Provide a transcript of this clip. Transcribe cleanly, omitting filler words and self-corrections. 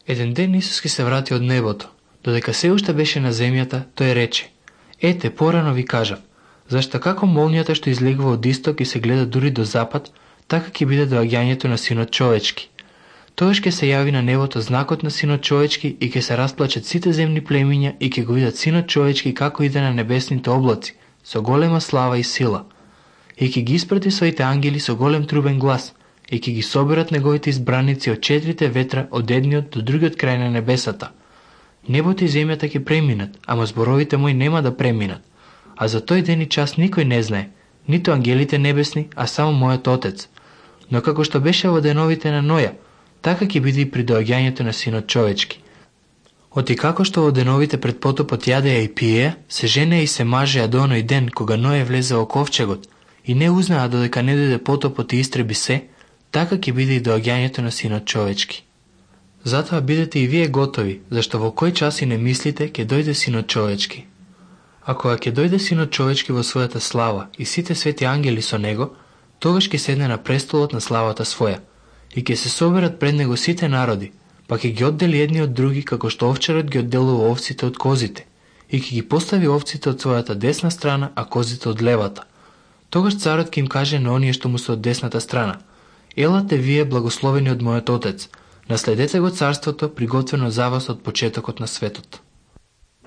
Еден ден Исус ке се врати од небото. Додека се уште беше на земјата, тој рече: Ете, порано ви кажав, зашто како молнијата што излегува од исток и се гледа дури до запад, така ќе биде доаѓањето на Синот човечки. Тогаш ќе се јави на небото знакот на Синот човечки и ќе се расплачат сите земни племиња и ќе го видат Синот човечки како иде на небесните облаци, со голема слава и сила. И ќе ги испрати своите ангели со голем трубен глас, и ќе ги соберат неговите избраници од четирите ветра од едниот до другиот крај на небесата. Небото и земјата ќе преминат, ама зборовите мои нема да преминат. А за тој ден и час никој не знае, ниту ангелите небесни, а само мојот Отец. Но како што беше во деновите на Ноја, така ќе биде и при доаѓањето на Синот човечки. Оти како што во деновите пред потопот јадеа и пиеа, се женеа и се мажеа до оној ден кога Ној влезе во ковчегот и не узнаа додека не дојде потопот и истреби се, така ќе биде и доаѓањето на Синот човечки. Затоа бидете и вие готови, зашто во кој час и не мислите ќе дојде Синот човечки. А кога ќе дојде Синот човечки во својата слава и сите свети ангели со него, тогаш ќе седне на престолот на славата своја и ќе се соберат пред него сите народи, па ќе ги оддели едни од други како што овчарот ги одделува овците од козите и ќе ги постави овците од својата десна страна, а козите од левата. Тогаш царот ќе им каже на оние што му се од десната страна: Елате вие благословени од мојот Отец, наследете го царството приготвено за вас од почетокот на светот.